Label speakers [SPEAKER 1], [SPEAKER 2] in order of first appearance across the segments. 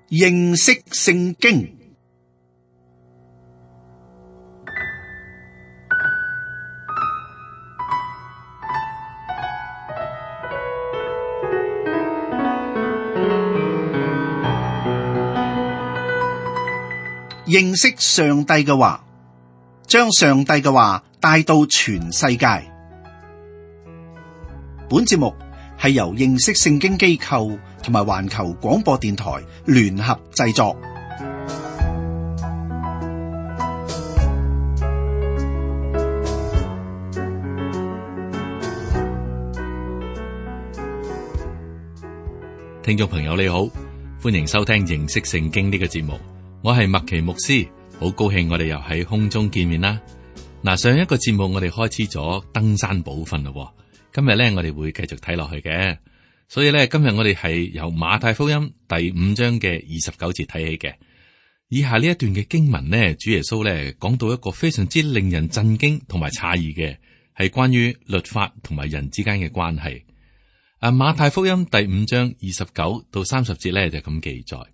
[SPEAKER 1] 認識聖經。認識上帝嘅話，將上帝嘅話帶到全世界。本節目係由認識聖經機構同埋環球廣播電台聯合製作。
[SPEAKER 2] 聽眾朋友你好，歡迎收聽認識聖經呢個節目。我係麥奇牧師，好高興我哋又喺空中見面啦。嗱，上一個節目我哋開始咗登山寶訓咯，今日咧我哋會繼續睇落去嘅。所以咧今日我哋係由馬太福音第5章嘅29節睇起嘅。以下呢一段嘅經文呢，主耶穌咧講到一個非常之令人震驚同埋詫異嘅，係關於律法同埋人之間嘅關係。馬太福音第5章29到30節咧就咁記載。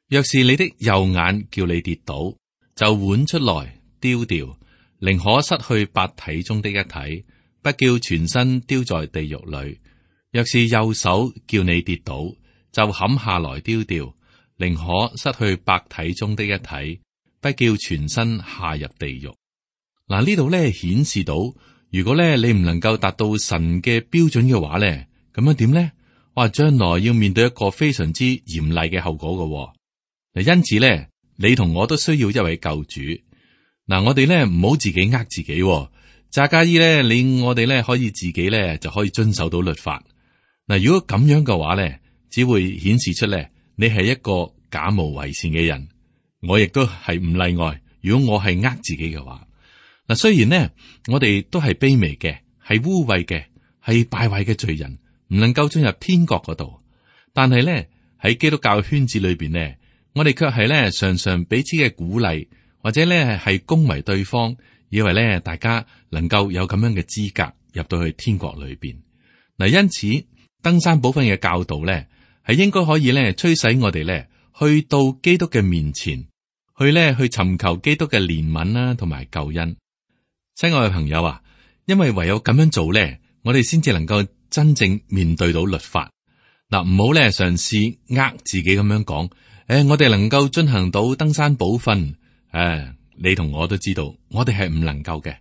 [SPEAKER 2] 若是你的右眼叫你跌倒，就剜出來丟掉，寧可失去八體中的一體，不叫全身丟在地獄裏。若是右手叫你跌倒，就砍下來丟掉，寧可失去八體中的一體，不叫全身下入地獄。嗱，呢度咧顯示到，如果咧你唔能夠達到神嘅標準嘅話咧，咁樣點咧？哇，將來要面對一個非常之嚴厲嘅後果嘅。因此咧，你同我都需要一位救主。嗱，我哋咧唔好自己呃自己。詐假意咧，我哋咧可以自己咧就可以遵守到律法。嗱，如果咁樣嘅話咧，只會顯示出咧你係一個假冒為善嘅人。我亦都係唔例外。如果我係呃自己嘅話，嗱，雖然呢，我哋都係卑微嘅，係污穢嘅，係敗壞嘅罪人，唔能夠進入天國嗰度。但係咧喺基督教圈子裏邊呢，我哋卻係咧常常彼此嘅鼓勵，或者咧係恭維對方，以為咧大家能夠有咁樣嘅資格入到去天國裏邊。嗱，因此登山寶訓嘅教導咧，係應該可以咧驅使我哋咧去到基督嘅面前，去尋求基督嘅憐憫啦，同埋救恩。親愛嘅朋友啊，因為唯有咁樣做咧，我哋先至能夠真正面對到律法。嗱，唔好咧嘗試呃自己咁樣講。我哋能夠進行到登山寶訓，你同我都知道，我哋係唔能夠嘅，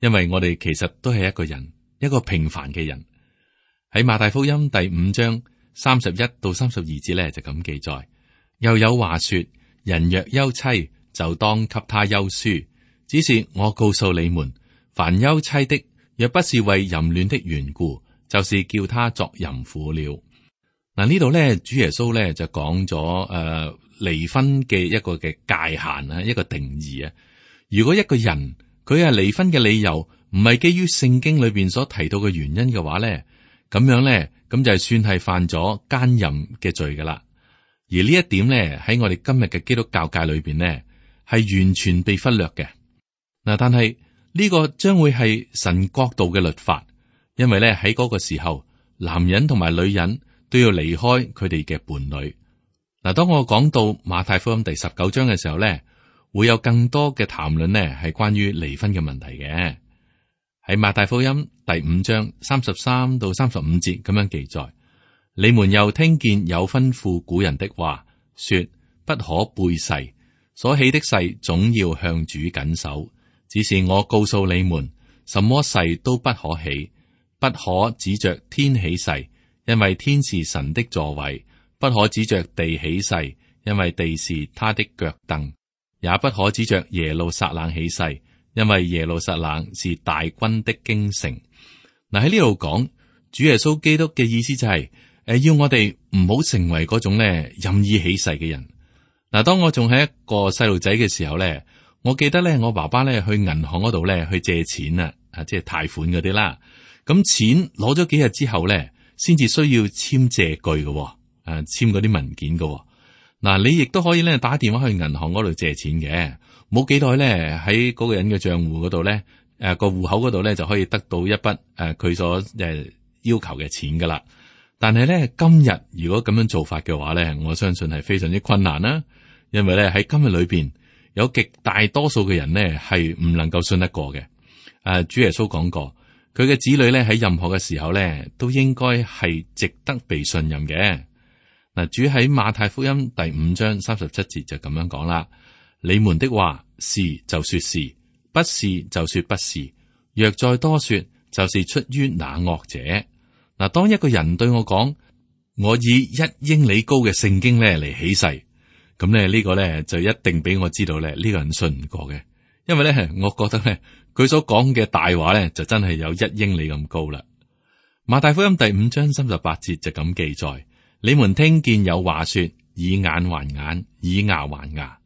[SPEAKER 2] 因為我哋其實都係一個人，一個平凡嘅人。喺馬太福音第5章31到32節咧就咁記載，又有話說：人若休妻，就當給他休書。只是我告訴你們，凡休妻的，若不是為淫亂的緣故，就是叫他作淫婦了。嗱，呢度咧，主耶穌咧就講咗離婚嘅一個嘅界限啊，一個定義啊。如果一個人佢係離婚嘅理由唔係基於聖經裏邊所提到嘅原因嘅話咧，咁樣咧咁就係算係犯咗奸淫嘅罪噶啦。而呢一點咧喺我哋今日嘅基督教界裏邊咧係完全被忽略嘅。嗱，但係呢個將會係神國度嘅律法，因為咧喺嗰個時候，男人同埋女人都要離開佢哋嘅伴侶。嗱，當我講到馬太福音第19章嘅時候咧，會有更多嘅談論呢係關於離婚嘅問題嘅。喺馬太福音第5章33到35節咁樣記載：你們又聽見有吩咐古人的話，說不可背誓，所起的誓總要向主謹守。只是我告訴你們，什麼誓都不可起，不可指着天起誓，因為天是神的座位；不可指着地起誓，因為地是他的腳凳；也不可指着耶路撒冷起誓，因為耶路撒冷是大軍的京城。嗱，喺呢度講主耶穌基督嘅意思就係要我哋唔好成為嗰種咧任意起誓嘅人。嗱，當我仲係一個細路仔嘅時候咧，我記得咧我爸爸咧去銀行嗰度咧去借錢啊，即係貸款嗰啲啦。咁錢攞咗幾日之後咧，先至需要簽借據嘅，簽嗰啲文件嘅。嗱，你亦都可以咧打電話去銀行嗰度借錢嘅，冇幾耐咧喺嗰個人嘅賬戶嗰度咧，個戶口嗰度咧就可以得到一筆佢所要求嘅錢噶啦。但係咧，今日如果咁樣做法嘅話咧，我相信係非常之困難啦。因為咧喺今日裏邊，有極大多數嘅人呢係唔能夠信得過嘅。主耶穌講過，佢嘅子女咧喺任何嘅時候咧，都應該係值得被信任嘅。嗱，主喺馬太福音第5章37節就咁樣講啦：你們的話是就說是，不是就說不是。若再多說，就是出於那惡者。嗱，當一個人對我講，我以1英里高嘅聖經咧嚟起誓，咁咧呢個咧就一定俾我知道咧呢個人信唔過嘅，因為咧我覺得咧佢所講嘅大話咧就真係有1英里咁高啦。馬太福音第5章38節就咁記載：你們聽見有話說，以眼還眼，以牙還牙。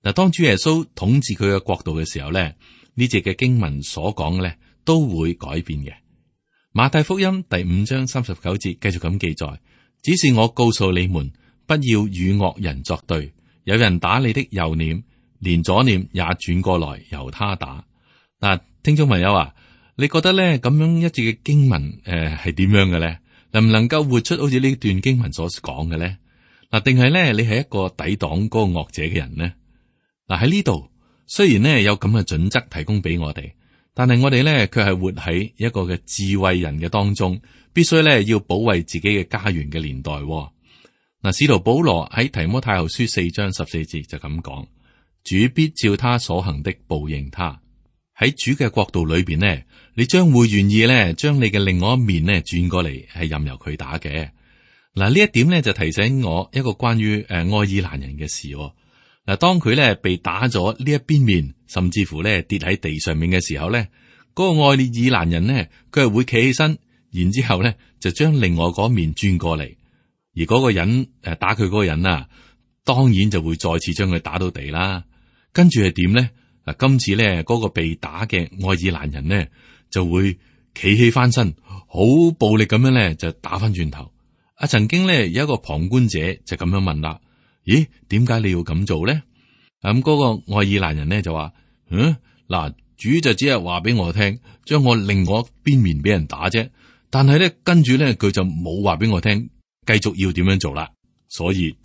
[SPEAKER 2] 嗱，當主耶穌統治佢嘅國度嘅時候咧，呢節嘅經文所講嘅咧都會改變嘅。馬太福音第5章39節繼續咁記載：只是我告訴你們，不要與惡人作對。有人打你的右臉，連左臉也轉過來由他打。嗱，聽眾朋友啊，你覺得咧咁樣一節嘅經文係點樣嘅咧？能唔能夠活出好似呢段經文所講嘅咧？嗱，定係咧你係一個抵擋嗰個惡者嘅人呢？嗱，喺呢度雖然呢有咁嘅準則提供俾我哋。但係我哋咧，卻係活喺一個嘅智慧人嘅當中，必須咧要保衛自己嘅家園嘅年代。嗱，使徒保羅喺提摩太後書4章14節就咁講：主必照他所行的報應他。喺主嘅國度裏邊呢，你將會願意咧將你嘅另外一面呢轉過嚟，係任由佢打嘅。嗱，呢一點咧就提醒我一個關於愛爾蘭人嘅事。嗱，當佢咧被打咗呢一邊面，甚至乎咧跌喺地上面嘅時候咧，嗰個愛爾蘭人呢，佢係會企起身，然之後咧就將另外嗰面轉過嚟，而嗰個人打佢嗰個人啊，當然就會再次將佢打到地啦。跟住係點咧？嗱，今次咧嗰個被打嘅愛爾蘭人呢，就會企起翻身，好暴力咁樣咧就打翻轉頭。曾經咧有一個旁觀者就咁樣問啦。咦，點解你要咁做咧？咁嗰個愛爾蘭人咧就話：嗱，主就只係話俾我聽，將我另外一邊面俾人打啫。但係咧，跟住咧佢就冇話俾我聽，繼續要點樣做啦。所以，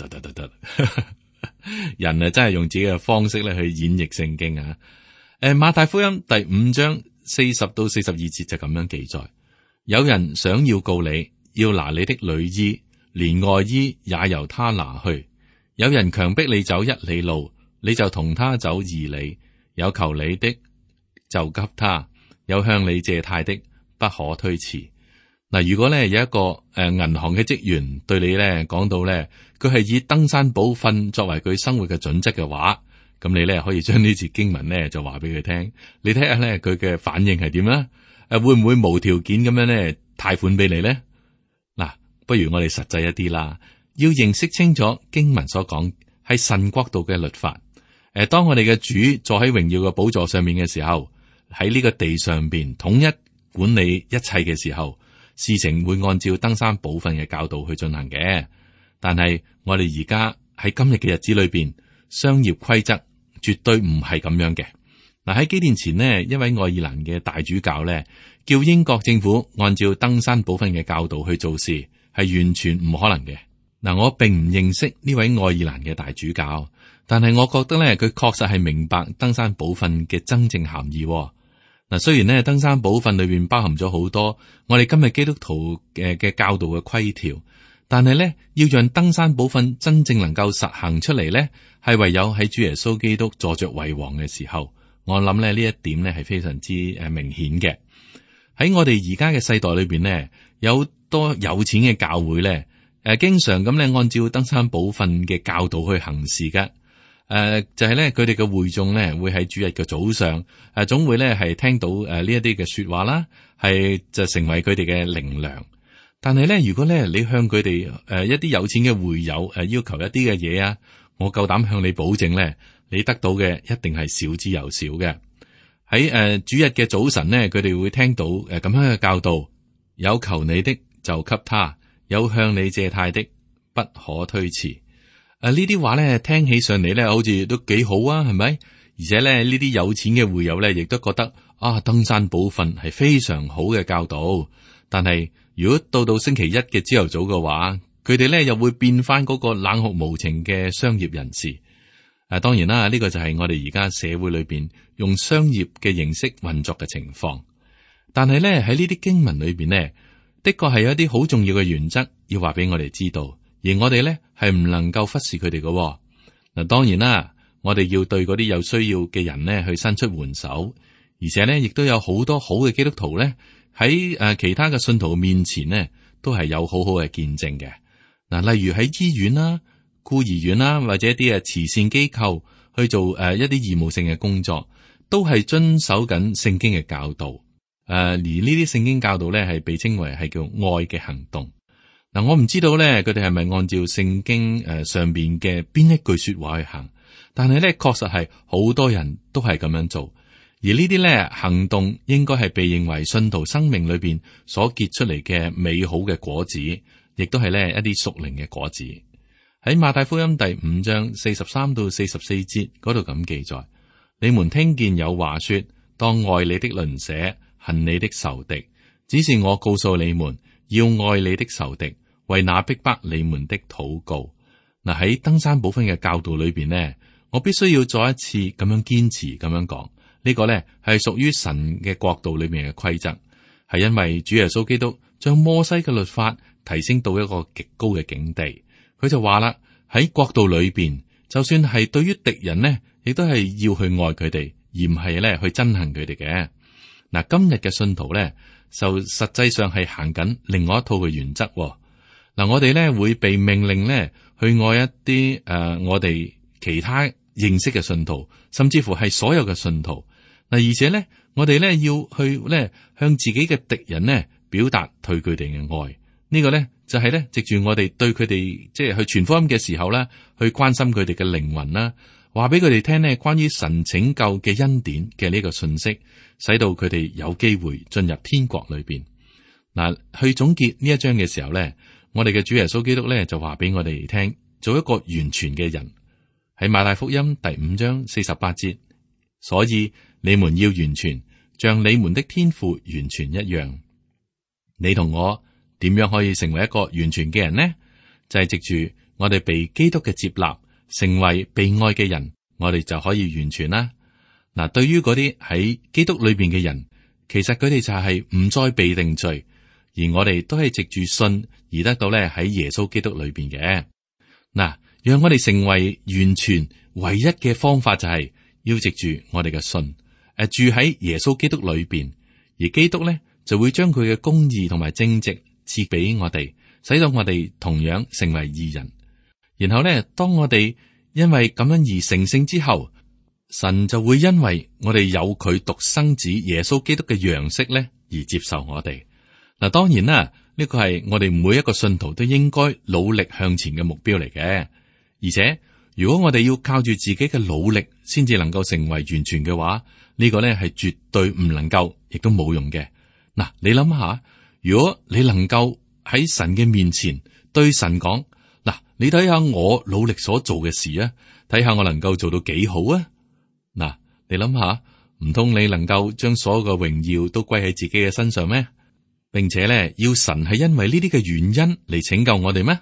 [SPEAKER 2] 人啊真係用自己嘅方式咧去演繹聖經啊。馬太福音第5章40到42節就咁樣記載：有人想要告你，要拿你的裡衣，連外衣也由他拿去。有人強迫你走1里路，你就同他走2里。有求你的就給他，有向你借貸的不可推辭。嗱，如果咧有一個銀行嘅職員對你咧講到咧，佢係以登山寶訓作為佢生活嘅準則嘅話，咁你咧可以將呢節經文咧就話俾佢聽，你睇下咧佢嘅反應係點啦？會唔會無條件咁樣咧貸款俾你咧？嗱，不如我哋實際一啲啦。要認識清楚經文所講係神國度嘅律法。當我哋嘅主坐喺榮耀嘅寶座上面嘅時候，喺呢個地上邊統一管理一切嘅時候，事情會按照登山寶訓嘅教導去進行嘅。但係我哋而家喺今日嘅日子裏邊，商業規則絕對唔係咁樣嘅。嗱，喺幾年前呢，一位愛爾蘭嘅大主教咧，叫英國政府按照登山寶訓嘅教導去做事，係完全唔可能嘅。嗱，我並唔認識呢位愛爾蘭嘅大主教，但係我覺得咧，佢確實係明白登山寶訓嘅真正含義。嗱，雖然咧登山寶訓裏邊包含咗好多我哋今日基督徒嘅教導嘅規條，但係咧要讓登山寶訓真正能夠實行出嚟咧，係唯有喺主耶穌基督坐着為王嘅時候。我諗咧呢一點咧係非常之明顯嘅。喺我哋而家嘅世代裏邊咧，有多有錢嘅教會咧。經常咁咧，按照登山寶訓嘅教導去行事嘅。就係咧，佢哋嘅會眾咧，會喺主日嘅早上，總會咧係聽到呢一啲嘅說話啦，係就成為佢哋嘅靈糧。但係咧，如果咧你向佢哋一啲有錢嘅會友要求一啲嘅嘢啊，我夠膽向你保證咧，你得到嘅一定係少之又少嘅。喺主日嘅早晨咧，佢哋會聽到咁樣嘅教導：有求你的就給他。有向你借貸的不可推辭。呢啲話咧聽起上嚟咧，好似都幾好啊，係咪？而且咧呢啲有錢嘅會友咧，亦都覺得登山寶訓係非常好嘅教導。但係如果到星期一嘅朝頭早嘅話，佢哋咧又會變翻嗰個冷酷無情嘅商業人士。當然啦，呢個就係我哋而家社會裏邊用商業嘅形式運作嘅情況。但係咧喺呢啲經文裏邊呢，的確係有一啲好重要嘅原則要話俾我哋知道，而我哋咧係唔能夠忽視佢哋嘅。嗱，當然啦，我哋要對嗰啲有需要嘅人呢去伸出援手，而且呢亦都有好多好嘅基督徒咧喺其他嘅信徒面前呢都係有好好嘅見證嘅。嗱，例如喺醫院啦、孤兒院啦，或者一啲慈善機構去做一啲義務性嘅工作，都係遵守緊聖經嘅教導。而呢啲聖經教導咧係被稱為係叫愛嘅行動。嗱，我唔知道咧佢哋係咪按照聖經上邊嘅邊一句說話去行，但係咧確實係好多人都係咁樣做。而呢啲咧行動應該係被認為信徒生命裏邊所結出嚟嘅美好嘅果子，亦都係咧一啲屬靈嘅果子。喺馬太福音第5章43到44節嗰度咁記載：你們聽見有話說，當愛你的鄰舍，恨你的仇敵。只是我告訴你們，要愛你的仇敵，為那逼迫你們的禱告。嗱，喺登山寶訓嘅教導裏邊呢，我必須要再一次咁樣堅持咁樣講，呢個呢係屬於神嘅國度裏面嘅規則，係因為主耶穌基督將摩西嘅律法提升到一個極高嘅境地。佢就話啦，喺國度裏邊，就算係對於敵人呢，亦都係要去愛佢哋，而唔係咧去憎恨佢哋嘅。嗱，今日嘅信徒咧，就實際上係行緊另外一套嘅原則。嗱，我哋咧會被命令咧去愛一啲我哋其他認識嘅信徒，甚至乎係所有嘅信徒。嗱，而且咧，我哋咧要去咧向自己嘅敵人呢表達對佢哋嘅愛。呢個咧就係咧藉住我哋對佢哋即係去傳福音嘅時候咧，去關心佢哋嘅靈魂啦，話俾佢哋聽呢關於神拯救嘅恩典嘅呢個信息，使到佢哋有機會進入天國裏邊。嗱，去總結呢一章嘅時候咧，我哋嘅主耶穌基督咧就話俾我哋聽，做一個完全嘅人。喺馬太福音第5章48節，所以你們要完全，像你們的天父完全一樣。你同我點樣可以成為一個完全嘅人呢？就係藉住我哋被基督嘅接納，成為被愛嘅人，我哋就可以完全啦。嗱，對於嗰啲喺基督裏邊嘅人，其實佢哋就係唔再被定罪，而我哋都係藉住信而得到咧喺耶穌基督裏邊嘅。嗱，讓我哋成為完全唯一嘅方法就係要藉住我哋嘅信，住喺耶穌基督裏邊，而基督咧就會將佢嘅公義同埋正直賜俾我哋，使到我哋同樣成為義人。然後咧，當我哋因為咁樣而成聖之後，神就會因為我哋有佢獨生子耶穌基督嘅樣式咧而接受我哋。嗱，當然啦，呢個係我哋每一個信徒都應該努力向前嘅目標嚟嘅。而且如果我哋要靠住自己嘅努力先至能夠成為完全嘅話，呢個咧係絕對唔能夠，亦都冇用嘅。嗱，你諗下，如果你能夠喺神嘅面前對神講，嗱，你睇下我努力所做嘅事啊，睇下我能夠做到幾好啊。嗱，你諗下，唔通你能夠將所有嘅榮耀都歸喺自己嘅身上咩？並且咧，要神係因為呢啲嘅原因嚟拯救我哋咩？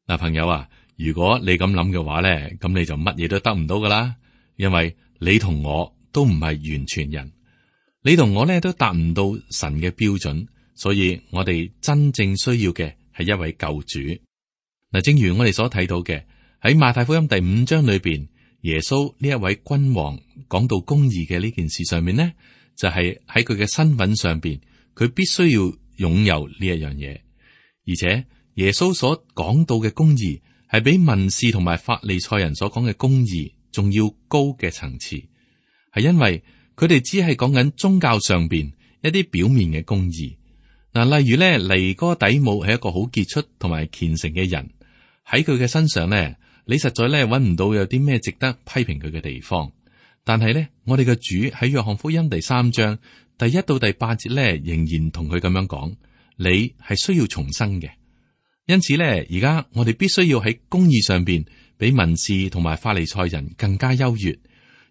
[SPEAKER 2] 嗱，朋友啊，如果你咁諗嘅話咧，咁你就乜嘢都得唔到噶啦，因為你同我都唔係完全人。你同我咧都達唔到神嘅標準，所以我哋真正需要嘅係一位救主。嗱，正如我哋所睇到嘅，喺馬太福音第5章裏邊，耶穌呢一位君王講到公義嘅呢件事上面呢，就係喺佢嘅身份上邊，佢必須要擁有呢一樣嘢。而且耶穌所講到嘅公義係比文士同埋法利賽人所講嘅公義仲要高嘅層次，係因為佢哋只係講緊宗教上邊一啲表面嘅公義。嗱，例如咧，尼哥底母係一個好傑出同埋虔誠嘅人，喺佢嘅身上咧，你實在咧揾唔到有啲咩值得批評佢嘅地方。但係咧，我哋嘅主喺約翰福音第3章第1到第8節咧，仍然同佢咁樣講：你係需要重生嘅。因此咧，而家我哋必須要喺公義上邊比文士同埋法利賽人更加優越。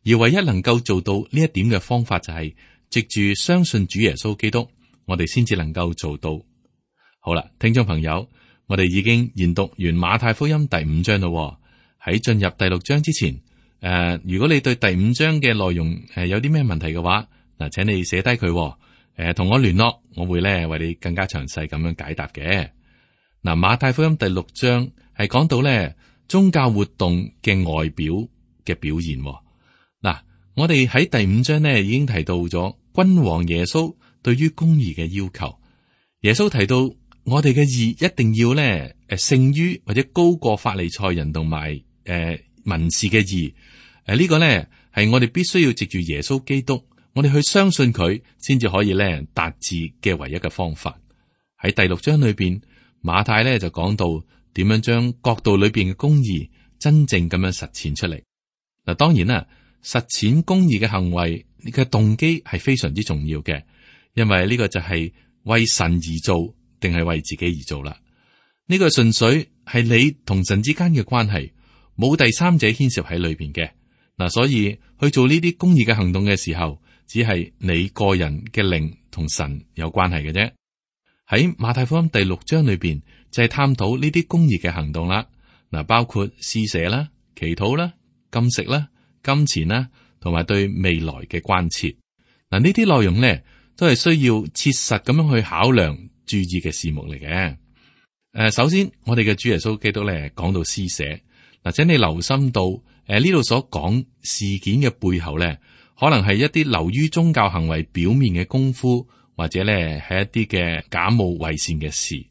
[SPEAKER 2] 而唯一能夠做到呢一點嘅方法就係藉住相信主耶穌基督，我哋先至能夠做到。好啦，聽眾朋友，我哋已經研讀完馬太福音第5章咯。喺進入第6章之前，如果你對第5章嘅內容有啲咩問題嘅話，嗱，請你寫低佢，同我聯絡，我會咧為你更加詳細咁樣解答嘅。嗱，馬太福音第6章係講到咧宗教活動嘅外表嘅表現。嗱，我哋喺第5章呢已經提到咗君王耶穌對於公義嘅要求。耶穌提到我哋嘅義一定要咧勝於或者高過法利賽人同埋文士嘅義。呢個咧係我哋必須要藉住耶穌基督，我哋去相信佢，先至可以咧達至嘅唯一嘅方法。喺第6章裏邊，馬太咧就講到點樣將國度裏邊嘅公義真正咁樣實踐出嚟。嗱，當然啦，實踐公義嘅行為嘅動機係非常之重要嘅，因為呢個就係為神而做，定係為自己而做啦。呢個純粹係你同神之間嘅關係，冇第三者牽涉喺裏邊嘅。嗱，所以去做呢啲公義嘅行動嘅時候，只係你個人嘅靈同神有關係嘅啫。喺馬太福音第6章裏邊就係探討呢啲公義嘅行動啦。嗱，包括施捨啦、祈禱啦、禁食啦、金錢啦，同埋對未來嘅關切。嗱，呢啲內容咧都係需要切實咁樣去考量、注意嘅事目嚟嘅。首先我哋嘅主耶穌基督咧講到施捨。嗱，請你留心到呢度所講事件嘅背後咧，可能係一啲流於宗教行為表面嘅功夫，或者咧係一啲嘅假冒偽善嘅事。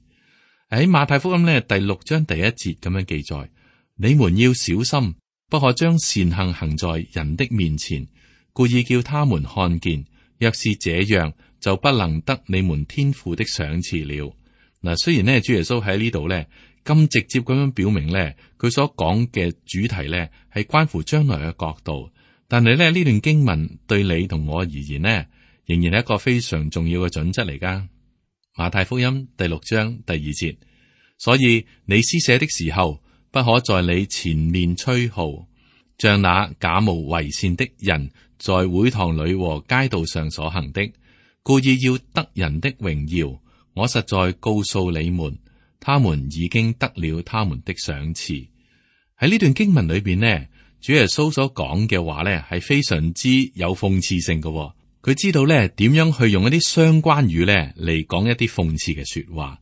[SPEAKER 2] 喺馬太福音咧第6章第1節咁樣記載：你們要小心，不可將善行行在人的面前，故意叫他們看見。若是這樣，就不能得你們天父的賞賜了。嗱，雖然呢，主耶穌喺呢度咧咁直接咁樣表明咧，佢所講嘅主題咧係關乎將來嘅國度，但係咧呢段經文對你同我而言呢，仍然係一個非常重要嘅準則嚟噶。馬太福音第6章第2節，所以你施捨的時候，不可在你前面吹號，像那假冒為善的人在會堂裏和街道上所行的，故意要得人的榮耀。我實在告訴你們，他們已經得了他們的賞賜。喺呢段經文裏邊呢，主耶穌所講嘅話呢係非常之有諷刺性嘅。佢知道咧點樣去用一啲相關語咧嚟講一啲諷刺嘅說話。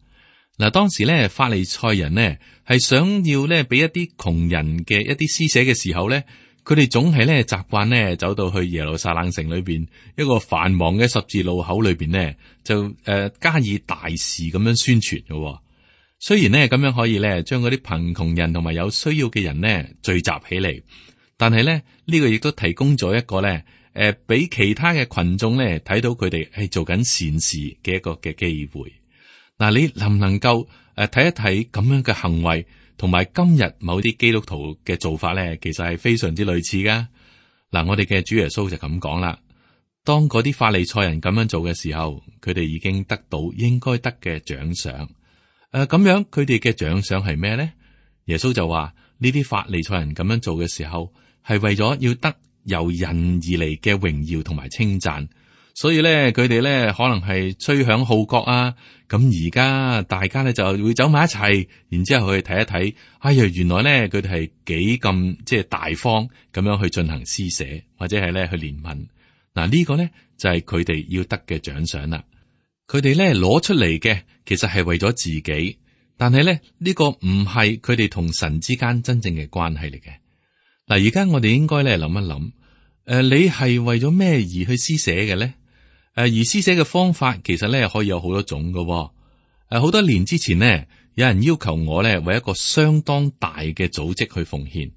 [SPEAKER 2] 嗱，當時咧法利賽人呢係想要咧俾一啲窮人嘅一啲施捨嘅時候咧，佢哋總係咧習慣咧走到去耶路撒冷城裏邊一個繁忙嘅十字路口裏邊呢，就加以大肆咁樣宣傳嘅。雖然呢咁樣可以咧將嗰啲貧窮人同埋有需要嘅人呢聚集起嚟，但係咧呢個亦都提供咗一個咧俾其他嘅群眾咧睇到佢哋係做緊善事嘅一個嘅機會。嗱，你能唔能夠睇一睇咁樣嘅行為，同埋今日某啲基督徒嘅做法咧，其實係非常之類似噶。嗱，我哋嘅主耶穌就咁講啦。當嗰啲法利賽人咁樣做嘅時候，佢哋已經得到應該得嘅獎賞。咁樣佢哋嘅獎賞係咩咧？耶穌就話呢啲法利賽人咁樣做嘅時候，係為咗要得由人而嚟嘅榮耀同埋稱讚，所以咧佢哋咧可能係吹響號角啊。咁而家大家咧就會走埋一齊，然之後去睇一睇，哎呀，原來咧佢哋係幾咁即係大方咁樣去進行施捨，或者係咧去憐憫。嗱，呢個咧就係佢哋要得嘅獎賞啦。佢哋咧攞出嚟嘅其實係為咗自己，但係咧呢個唔係佢哋同神之間真正嘅關係嚟嘅。嗱，而家我哋應該咧諗一諗，你係為咗咩而去施捨嘅咧？而施捨嘅方法其實咧可以有好多種㗎。好多年之前呢，有人要求我咧為一個相當大嘅組織去奉獻。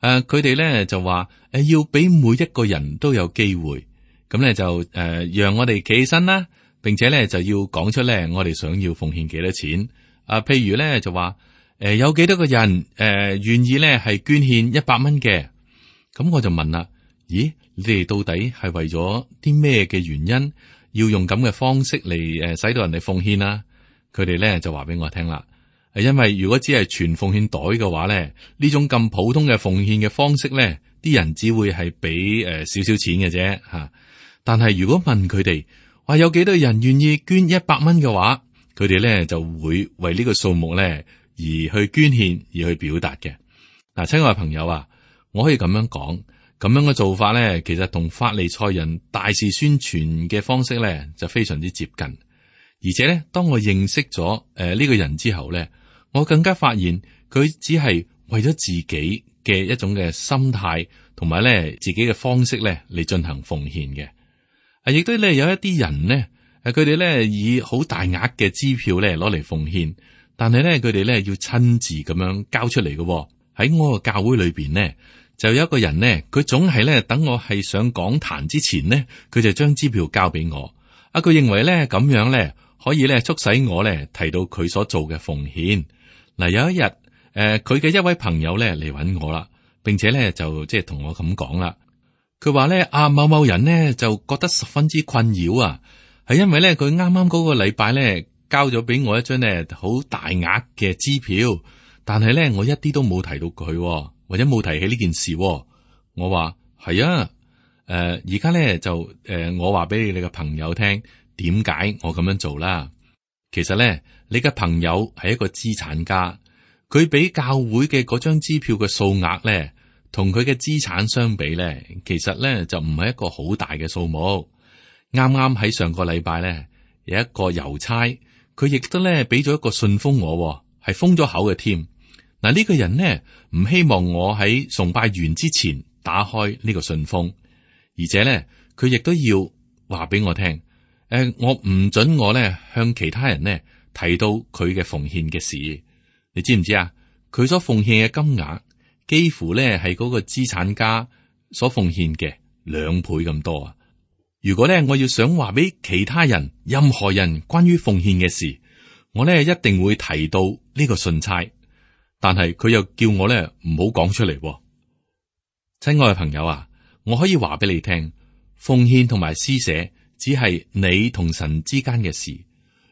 [SPEAKER 2] 佢哋咧就話要俾每一個人都有機會，咁咧就讓我哋企起身啦，並且咧就要講出咧我哋想要奉獻幾多錢。譬如咧就話有幾多個人願意咧係捐獻100蚊嘅。咁我就問啦，咦？你哋到底係為咗啲咩嘅原因要用咁嘅方式嚟使到人哋奉獻啊？佢哋咧就話俾我聽啦，因為如果只係存奉獻袋嘅話咧，呢種咁普通嘅奉獻嘅方式咧，啲人只會係俾少少錢嘅啫吓。但係如果問佢哋話有幾多人願意捐100蚊嘅話，佢哋咧就會為呢個數目咧而去捐獻，而去表達嘅。嗱，親愛嘅朋友啊，我可以咁樣講，咁樣嘅做法咧，其實同法利賽人大肆宣傳嘅方式咧就非常之接近。而且咧，當我認識咗呢個人之後咧，我更加發現佢只係為咗自己嘅一種嘅心態，同埋咧自己嘅方式咧嚟進行奉獻嘅。亦都咧有一啲人呢，佢哋咧以好大額嘅支票咧攞嚟奉獻，但係咧佢哋咧要親自咁樣交出嚟嘅。喺我個教會裏邊呢，就有一個人呢，佢總係咧等我係上講壇之前呢，佢就將支票交俾我。佢認為咧咁樣咧可以咧促使我咧提到佢所做嘅奉獻。嗱，有一日，佢嘅一位朋友咧嚟揾我啦，並且咧就即係同我咁講啦。佢話咧某某人呢就覺得十分之困擾啊，係因為咧佢啱啱嗰個禮拜咧交咗俾我一張咧好大額嘅支票，但係咧我一啲都冇提到佢，或者冇提起呢件事。我話係啊，而家咧就我話俾你嘅朋友聽，點解我咁樣做啦？其實咧，你嘅朋友係一個資產家，佢俾教會嘅嗰張支票嘅數額咧，同佢嘅資產相比咧，其實咧就唔係一個好大嘅數目。啱啱喺上個禮拜咧，有一個郵差，佢亦都咧俾咗一個信封我，係封咗口嘅添。嗱，呢個人呢，唔希望我喺崇拜完之前打開呢個信封，而且咧佢亦都要話俾我聽。我唔准我咧向其他人呢提到佢嘅奉獻嘅事，你知唔知啊？佢所奉獻嘅金額幾乎咧係嗰個資產家所奉獻嘅2倍咁多啊！如果咧我要想話俾其他人、任何人關於奉獻嘅事，我咧一定會提到呢個信差，但係佢又叫我咧唔好講出嚟。親愛嘅朋友啊，我可以話俾你聽，奉獻同埋施捨只係你同神之間嘅事。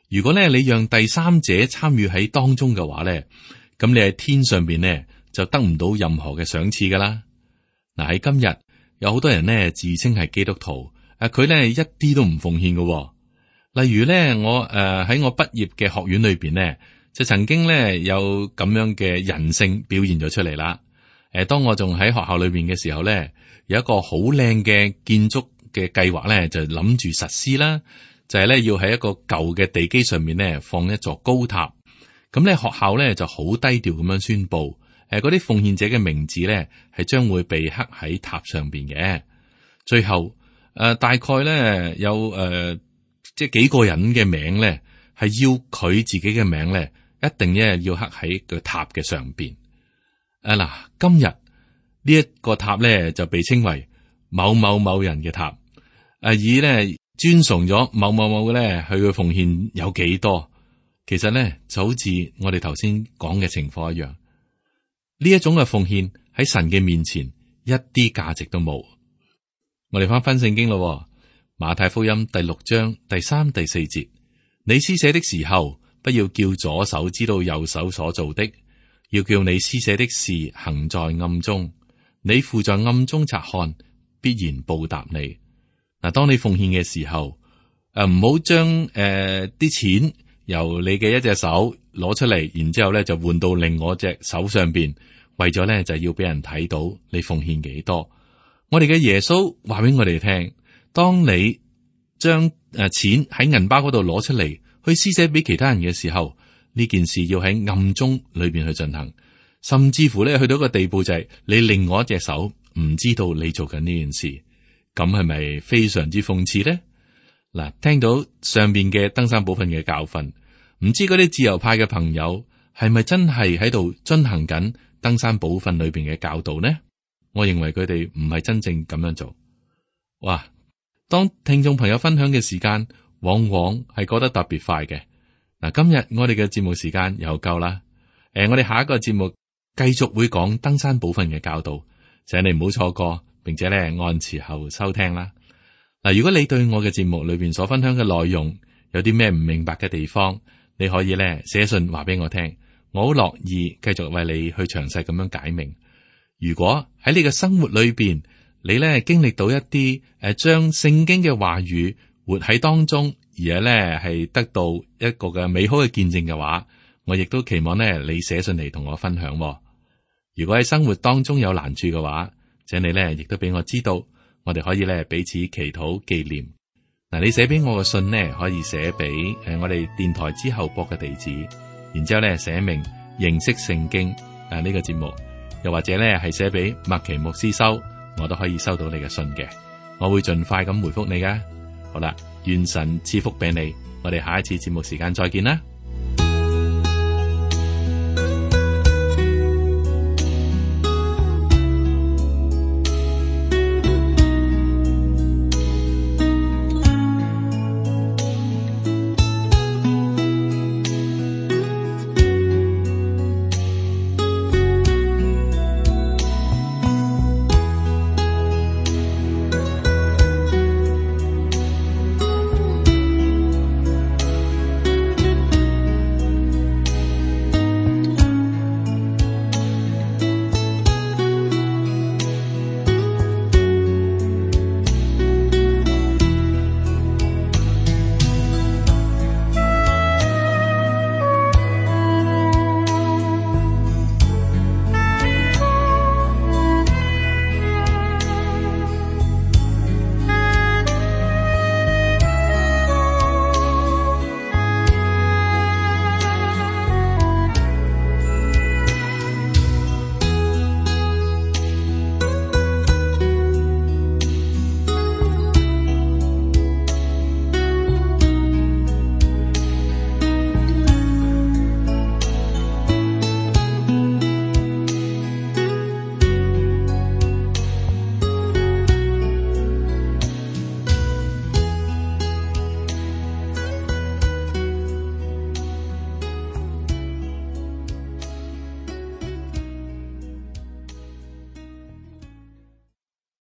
[SPEAKER 2] 如果咧你讓第三者參與喺當中嘅話咧，咁你喺天上邊咧就得唔到任何嘅賞賜噶啦。嗱，喺今日有好多人咧自稱係基督徒，佢咧一啲都唔奉獻嘅。例如咧我喺我畢業嘅學院裏邊咧，就曾經咧有咁樣嘅人性表現咗出嚟啦。當我仲喺學校裏邊嘅時候咧，有一個好靚嘅建築嘅計劃咧，就諗住實施啦，就係咧要喺一個舊嘅地基上面咧放一座高塔。咁咧學校咧就好低調咁樣宣布，嗰啲奉獻者嘅名字咧係將會被刻喺塔上邊嘅。最後大概咧有即係幾個人嘅名咧係要佢自己嘅名咧一定咧要刻喺個塔嘅上邊。嗱，今日呢一個塔咧就被稱為某某某人嘅塔，以咧尊崇咗某某某咧佢嘅奉獻有幾多。其實咧就好似我哋頭先講嘅情況一樣，呢一種嘅奉獻喺神嘅面前一啲價值都冇。我哋翻聖經咯，馬太福音第6章第3、第4節，你施捨的時候，不要叫左手知道右手所做的，要叫你施捨的事行在暗中，你父在暗中察看，必然報答你。嗱，當你奉獻嘅時候，唔好將啲錢由你嘅一隻手攞出嚟，然之後咧就換到另外一隻手上邊，為咗咧就要俾人睇到你奉獻幾多。我哋嘅耶穌話俾我哋聽，當你將錢喺銀包嗰度攞出嚟去施捨俾其他人嘅時候，呢件事要喺暗中裏邊去進行，甚至乎咧去到一個地步就係你另外一隻手唔知道你做緊呢件事，咁係咪非常之諷刺呢？嗱，聽到上邊嘅登山寶訓嘅教訓，唔知嗰啲自由派嘅朋友係咪真係喺度遵行緊登山寶訓裏邊嘅教導呢？我認為佢哋唔係真正咁樣做。哇！當聽眾朋友分享嘅時間，往往係過得特別快嘅。嗱，今日我哋嘅節目時間又夠啦。我哋下一個節目繼續會講登山寶訓嘅教導，請你唔好錯過，並且咧按時候收聽啦。嗱，如果你對我嘅節目裏邊所分享嘅內容有啲咩唔明白嘅地方，你可以咧寫信話俾我聽，我好樂意繼續為你去詳細咁樣解明。如果喺你嘅生活裏邊，你咧經歷到一啲將聖經嘅話語活喺當中，而係咧係得到一個嘅美好嘅見證嘅話，我亦都期望咧你寫信嚟同我分享。如果喺生活當中有難處嘅話，請你咧亦都俾我知道，我哋可以咧彼此祈禱紀念。嗱，你寫俾我嘅信呢，可以寫俾我哋電台之後播嘅地址，然之後咧寫明認識聖經呢個節目，又或者咧係寫俾麥奇牧師收，我都可以收到你嘅信嘅，我會盡快咁回覆你噶。好啦，願神賜福俾你，我哋下一次節目時間再見啦。